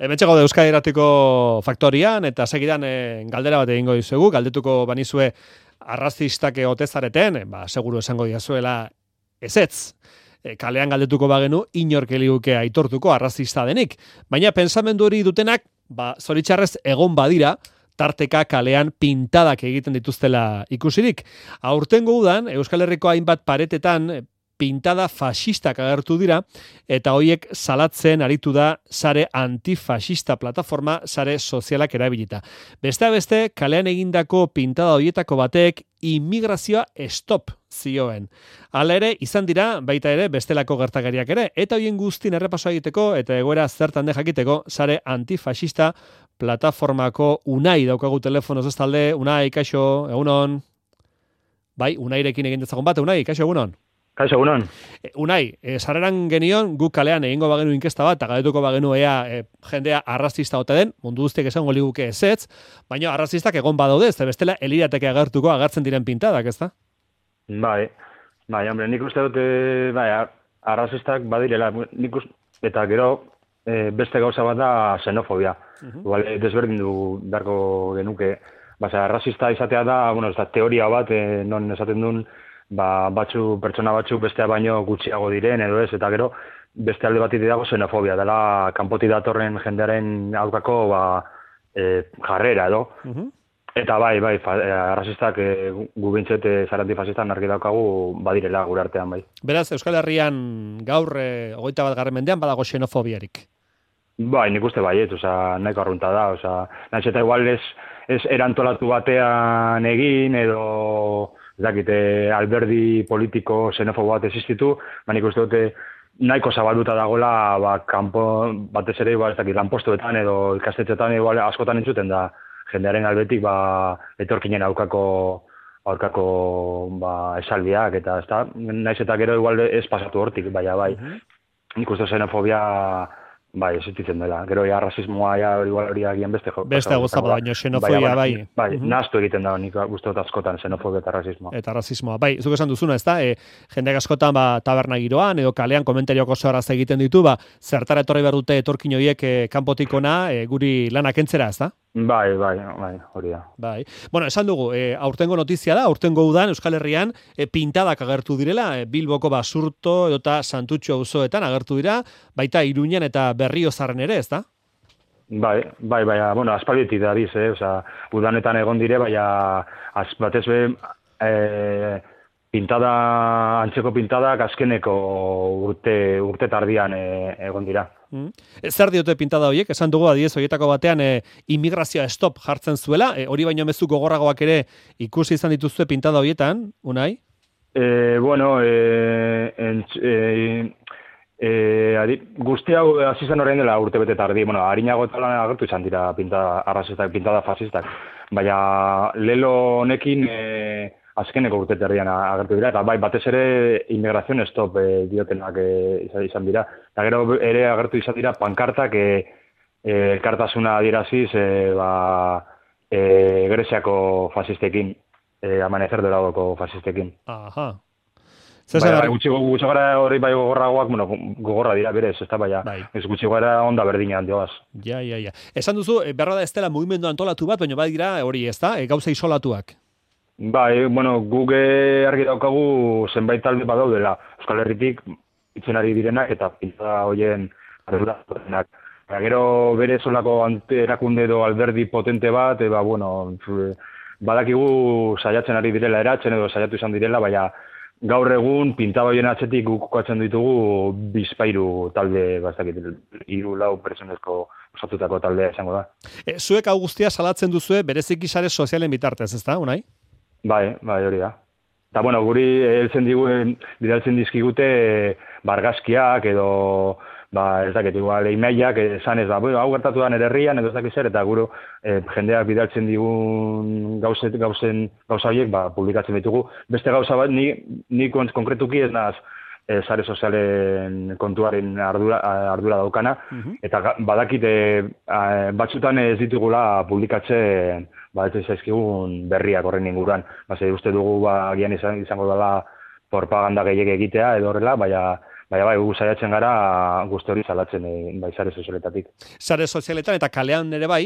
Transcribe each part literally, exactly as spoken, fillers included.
Hementxe gaude Euskadi Irratiko faktorian, eta segidan e, galdera bat egingo dizuegu, galdetuko banizue arrazistak ote zareten, ba, seguru esango diazuela ezetz. E, kalean galdetuko bagenu, inork eliguke aitortuko arrazista denik. Baina pensamendu hori dutenak, ba, zoritxarrez egon badira, tarteka kalean pintadak egiten dituztela ikusirik. Aurtengo udan, Euskal Herriko hainbat paretetan, pintada fascistak agertu dira, eta hoiek salatzen aritu da sare antifascista plataforma sare sozialak erabilita. Beste beste, kalean egindako pintada hoietako batek immigrazioa stop zioen. Hala ere, izan dira, baita ere, bestelako gertakariak ere, eta hoien guztin errepasoa egiteko, eta egoera zertan de jakiteko, sare antifascista plataformako Unai daukagu telefonoz ez talde. Unai, kaixo, egunon? Bai, Unairekin egin dezagon bat, Unai, kaixo, egunon? Kaixo, egunon. Unai, e, sarreran genion, guk kalean egingo bagenu inkesta bat, eta galdetuko bagenu ea e, jendea arrazista ote den, mundu guztiek esango liguke ezetz, baina arrazistak egon badaude, ez da bestela elirateke agertuko agertzen diren pintadak, ez da? Bai, bai, hombre, nik uste dute, bai, arrazistak badirela, nik uste, eta gero e, beste gauza bat da xenofobia. Uh-huh. Igual, desberdin du beharko genuke, basa, arrazista izatea da, bueno, ez da, teoria bat, e, non esaten duen, ba, batzu, pertsona batzuk bestea baino gutxiago diren, edo ez, eta gero, beste alde bat dago xenofobia, dela kanpoti datorren jendearen aurkako ba, e, jarrera, edo. Uh-huh. Eta bai, bai, fa, e, arrazistak e, gu bintzet e, zara antifasistak narki daukagu badirela gure artean, bai. Beraz, Euskal Herrian gaur e, hogeita bat garren mendean badago xenofobiarik? Bai, nik uste baiet, oza, nahiko arrunta da, oza, nahiz eta igual ez, ez erantolatu batean egin, edo dakite, alberdi politiko xenofobo bat existitu, ba nik uste dute nahiko zabalduta dagoela ba, kanpo, batez ere igual, ez dakit, lanpostuetan edo ikastetxetan igual, askotan entzuten da jendearen albetik ba, etorkinen aurkako aurkako ba, esaldiak, eta ez da, naiz eta gero igual ez pasatu hortik, baina bai, uh-huh. Nik uste xenofobia bai, existitzen dela. Gero ja rasismoa ja igual hori agian beste jo. Beste guztapa baino xenofobia bai. Bai, uh-huh. Nahastu egiten da nik uste dut askotan xenofobia eta rasismoa. Eta rasismoa. Bai, zuk esan duzuna, ezta? E, jendeak askotan ba taberna giroan edo kalean komentarioko zoraz egiten ditu, ba zertara etorri behar dute etorkin horiek e, kanpotikona e, guri lanak entzera, ezta? Bai, bai, bai, hori da. Bai. Bueno, esan dugu, e, aurtengo notizia da, aurtengo udan Euskal Herrian e, pintadak agertu direla, e, Bilboko Basurto edota Santutxo auzoetan agertu dira, baita Iruñan eta Berriozarren ere, ezta? Bai, bai, bai, bueno, aspalditik da biz, eh, osea, udanetan egon dire, baina az, batez be eh, pintada, antzeko pintadak azkeneko urte, urte tardian e, egon dira. Mm. Zer diote pintada horiek? Esan dugu adiez horietako batean e, immigrazioa stop jartzen zuela, e, hori baino mezu gogorragoak ere ikusi izan dituzue pintada horietan, Unai? E, bueno, e, entz, e, e, adi, guzti hau hasi zen orain dela urte bete tardi, bueno, harinago eta lan agertu izan dira pintada arrazistak, pintada fasistak, baina lelo honekin e, azkeneko urte terdian agertu dira, eta bai, batez ere inmigrazion stop e, diotenak e, izan dira. Eta gero ere agertu izan dira pankartak e, e, elkartasuna adieraziz e, ba, e, Greziako fasistekin, e, amanecer doradoko fasistekin. Aha. Bai, bai, gutxi, gutxi gara hori bai gogorragoak, bueno, gogorra dira berez, ez da, baina bai. Ez gutxi gara onda berdina handioaz. Ja, ja, ja. Esan duzu, berra da ez dela mugimendu antolatu bat, baina badira hori ez da, e, gauza isolatuak. Bai, bueno, guk argi daukagu zenbait talde badaudela. Euskal Herritik itzen ari direnak eta pintada hoien arduradunak. Gero bere solako erakunde edo alberdi potente bat, eba, bueno, badakigu saiatzen ari direla eratzen edo saiatu izan direla, baina gaur egun pintada hoien atzetik guk kokatzen ditugu bizpairu talde, bastakit, hiru lau pertsonezko osatutako taldea izango da. E, zuek hau guztia salatzen duzue bereziki sare sozialen bitartez, ezta, Unai? Bai, bai, hori da. Eta, bueno, guri heltzen diguen, bidaltzen dizkigute bargazkiak edo, ba, ez dakit, igual, emailak, esan ez da, hau gertatu da nire herrian, edo ez dakit zer, eta guru eh, jendeak bidaltzen digun gauzet, gauzen, gauza horiek, ba, publikatzen ditugu. Beste gauza bat, ni, ni konkretuki ez naz, e, sare sozialen kontuaren ardura, ardura daukana, uh-huh. Eta badakit e, batzutan ez ditugula publikatzen ba, ez zaizkigun berriak horren inguruan. Base, uste dugu ba, gian izan, izango dela propaganda gehiek egitea edo horrela, baina baina bai, gu saiatzen gara guzti hori salatzen e, bai sare sozialetatik. Sare sozialetan eta kalean ere bai?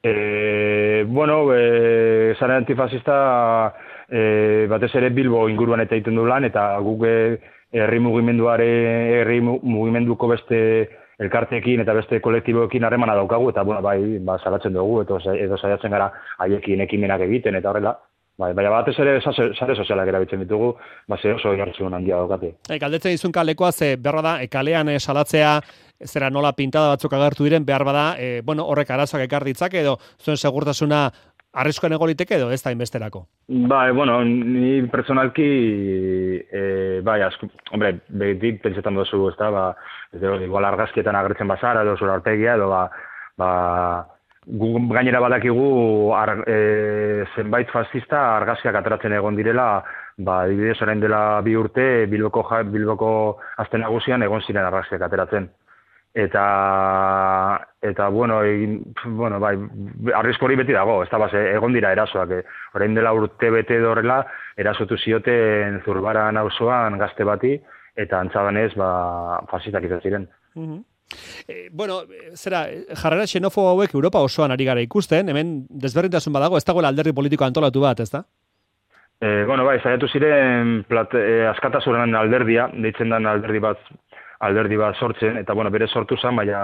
E, bueno, e, sare antifasista e, batez ere Bilbo inguruan eta egiten du lan, eta guk herri mugimenduare, herri mugimenduko beste elkarteekin eta beste kolektiboekin harremana daukagu, eta bueno, bai, ba, salatzen dugu, edo, edo saiatzen gara haiekin ekimenak egiten, eta horrela. Bai, baina batez ere sare sozialak erabiltzen ditugu, ba, ze oso jartzen handia daukate. E, galdetzen dizun kalekoa, ze behar da, e, kalean e, salatzea, zera nola pintada batzuk agertu diren, behar bada, e, bueno, horrek arazoak ekar ditzake, edo zuen segurtasuna arriskuan egoliteke, edo ez da inbesterako? Bai, bueno, ni personalki, e, bai, asko, hombre, behitik pentsetan dozu, ez da, ba, ez da, igual argazkietan agertzen bazara, edo zura arpegia, edo, ba, ba, gu gainera badakigu ar, e, zenbait fascista argazkiak ateratzen egon direla, ba, adibidez orain dela bi urte Bilboko, Bilboko aste nagusian egon ziren argazkiak ateratzen. Eta, eta bueno, egin, bueno, bai, arrizko hori beti dago, ez da, base, egon dira erasoak. Eh? Orain dela urte bete dorrela, erasotu zioten Zurbaran auzoan gazte bati, eta antzadanez, ba, fascistak izan ziren. Mm-hmm. Eh, bueno, zera, jarrera xenofobo hauek Europa osoan ari gara ikusten, hemen desberdintasun badago, ez dagoela alderdi politiko antolatu bat, ez da? Eh, bueno, bai, saiatu ziren plat, eh, askatasunen alderdia, deitzen den alderdi bat, alderdi bat sortzen, eta bueno, bere sortu zen, baina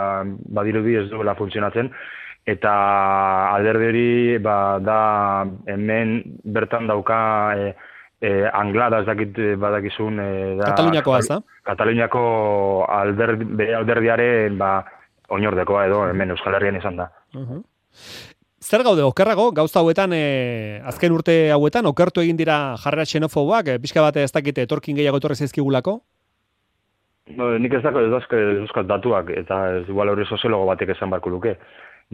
badirudi ez duela funtzionatzen, eta alderdi hori ba, da hemen bertan dauka e, e, Anglada ez dakit badakizun e, da, Kataluniakoa ez da? Kataluniako alderdi, bere alderdiaren ba, oinordekoa edo hemen Euskal Herrian izan da. Uh-huh. Zer gaude, okerrago, gauza hauetan, e, azken urte hauetan, okertu egin dira jarrera xenofoboak, e, pixka bate ez dakite etorkin gehiago etorri zaizkigulako? No, nik ez dako ez dauzkat datuak, eta ez igual hori soziologo batek esan barko luke.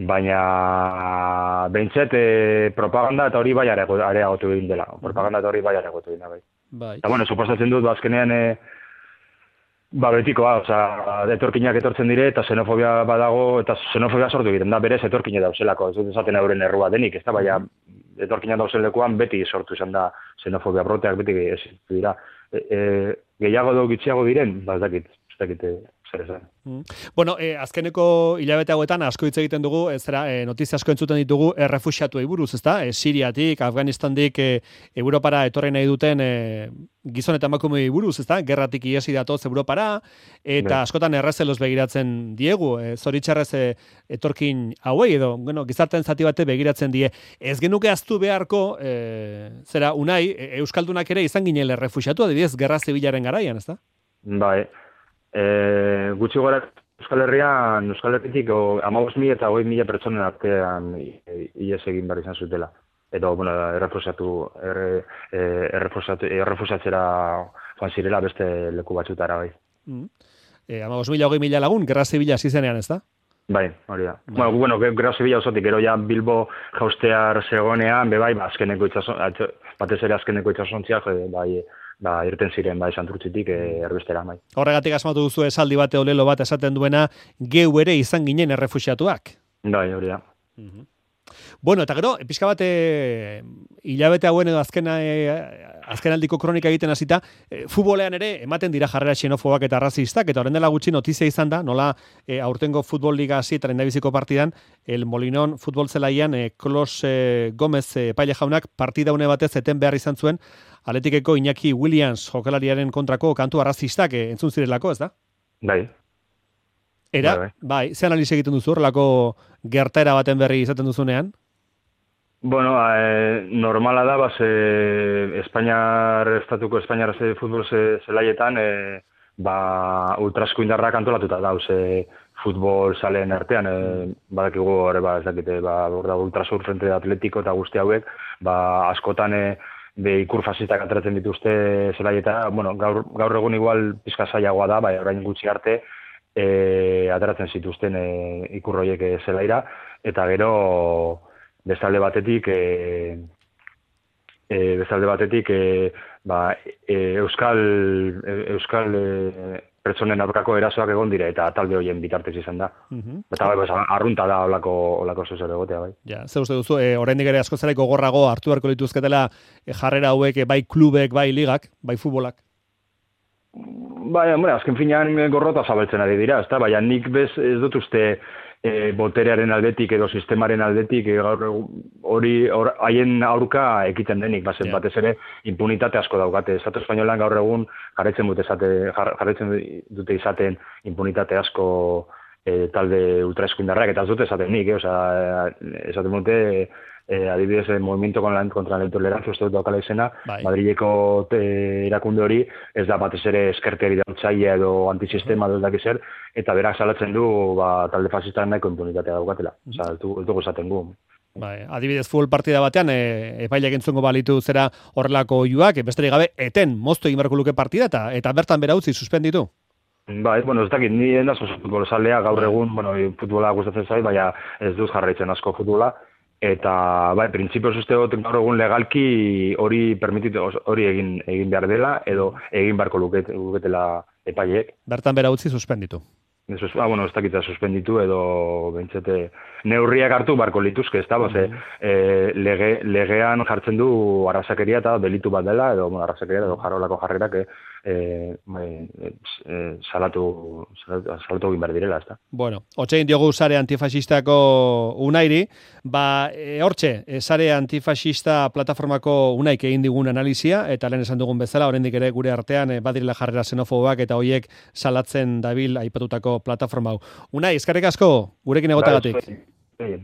Baina behintzet e, propaganda eta hori bai areagotu egin dela. Propaganda eta hori bai areagotu egin dela. Bai. Bai. Eta bueno, suposatzen dut, bazkenean, e, ba betikoa, oza, etorkinak etortzen dire, eta xenofobia badago, eta xenofobia sortu egiten da, berez etorkine dauzelako, ez dut esaten euren errua denik, ez da, baina etorkinak dauzen lekuan beti sortu izan da xenofobia broteak, beti ez dira. E, e, gehiago edo gitxiago diren, ba ez dakit, ez dakit zer esan. Mm. Bueno, eh, azkeneko hilabete hauetan asko hitz egiten dugu, ez zera, eh, notizia asko entzuten ditugu errefuxiatuei buruz, ezta? Eh, Siriatik, Afganistandik, eh, Europara etorri nahi duten eh, gizon eta emakumeei buruz, ezta? Gerratik iesi datoz Europara, eta ne. Askotan errezelos begiratzen diegu, eh, zoritxarrez eh, etorkin hauei edo, bueno, gizarten zati bate begiratzen die. Ez genuke aztu beharko, eh, zera, unai, Euskaldunak ere izan ginele errefuxiatu, adibidez, gerra zibilaren garaian, ezta? Bai, e, gutxi gora Euskal Herrian, Euskal Herritik hamabost mila eta hogei mila pertsonen artean ies egin behar izan zutela. Edo, bueno, errefusiatu, erre, errefusiatu, errefusiatzera joan zirela beste leku batzutara, bai. Mm. E, hamabost mila, hogei mila lagun, gerra zibila zizenean, ez da? Bai, hori da. Bai. Bueno, bueno, gerra zibila osotik, gero ja Bilbo jaustear zegonean, be bai, ba, azkeneko itxason, batez ere azkeneko itxasontziak, bai, ba, irten ziren, bai, santurtzitik e, erbestera, bai. Horregatik asmatu duzu esaldi bate olelo bat esaten duena, geu ere izan ginen errefuxiatuak. Bai, hori da. Uh-huh. Bueno, eta gero, pixka bate hilabete hauen edo azkena, e, azkenaldiko kronika egiten hasita, e, futbolean ere ematen dira jarrera xenofobak eta razistak, eta horren dela gutxi notizia izan da, nola e, aurtengo futbol liga hasietan endabiziko partidan, el Molinón futbol zelaian, e, Klos e, Gomez e, paile jaunak partida une batez eten behar izan zuen, Atletikeko Iñaki Williams jokalariaren kontrako kantu arrazistak e, entzun zirelako, ez da? Bai. Era, bai, bai. bai ze analiz egiten duzu, horrelako gertaera baten berri izaten duzunean? Bueno, eh, normala da, base, Espainiar, estatuko Espainiar futbol zelaietan, eh, ba, ultrasko indarrak antolatuta dauz, eh, futbol zaleen artean, eh, badakigu, hori, ba, ez dakite, ba, ultrasur frente de atletiko eta guzti hauek, ba, askotan, eh, be ikur fasistak ateratzen dituzte zelaieta, bueno, gaur, gaur egun igual pizka zailagoa da, bai, orain gutxi arte, e, ateratzen zituzten e, ikur horiek zelaira, eta gero bestalde batetik, e, e, bestalde batetik, e, ba, e, Euskal, e, Euskal e, pertsonen aurkako erasoak egon dire, eta talde horien bitartez izan da. Uh-huh. Eta bai, arrunta da olako, olako zuzero egotea, bai. Ja, ze uste duzu, e, oraindik ere asko zelaiko gorrago hartu beharko lituzketela e, jarrera hauek, e, bai klubek, bai ligak, bai futbolak? Bai, hombre, azken finean gorrota zabaltzen ari dira, ezta? Baina nik bez ez dut uste e, boterearen aldetik edo sistemaren aldetik e, gaur hori or, haien aurka ekiten denik, bazen yeah. batez ere impunitate asko daukate. Estatu espainolan gaur egun jarraitzen dute esate, jarraitzen dute izaten impunitate asko e, talde ultraeskuindarrak, eta ez dute esaten nik, eh? Osea, esaten dute eh, adibidez, el movimiento contra la intolerancia, uste dut daukala izena, bai. Madrileko te, erakunde hori, ez da batez ere eskerteri dautzaile edo antisistema mm. dut zer, eta berak salatzen du ba, talde fasistan nahiko impunitatea daukatela. Mm. Osa, ez dugu esaten gu. Bai, adibidez futbol partida batean e, epailak entzungo balitu zera horrelako oiuak, besterik gabe eten moztu egin beharko luke partida eta, eta bertan bera utzi suspenditu. Bai, bueno, ez dakit, ni endaz oso futbolazalea gaur egun, bueno, futbola gustatzen zait, baina ez dut jarraitzen asko futbola, eta bai, printzipioz uste dut gaur egun legalki hori permititu, hori egin egin behar dela, edo egin beharko luket, luketela epaileek. Bertan bera utzi suspenditu. Eso es, ah, bueno, ez dakitza suspenditu edo bentsete neurriak hartu barko lituzke, ez da, mm -hmm. e, lege, legean jartzen du arrasakeria eta delitu bat dela, edo bueno, arrasakeria edo jarolako jarrerak e, e, e, salatu, salatu, salatu egin behar direla, ez da. Bueno, otxein diogu sare antifasistako unairi, ba, e, hortxe, e, sare antifasista plataformako unaik egin digun analizia, eta lehen esan dugun bezala, oraindik ere gure artean e, badirela jarrera xenofoboak eta hoiek salatzen dabil aipatutako plataforma hau. Unai, eskerrik asko, gurekin egotagatik.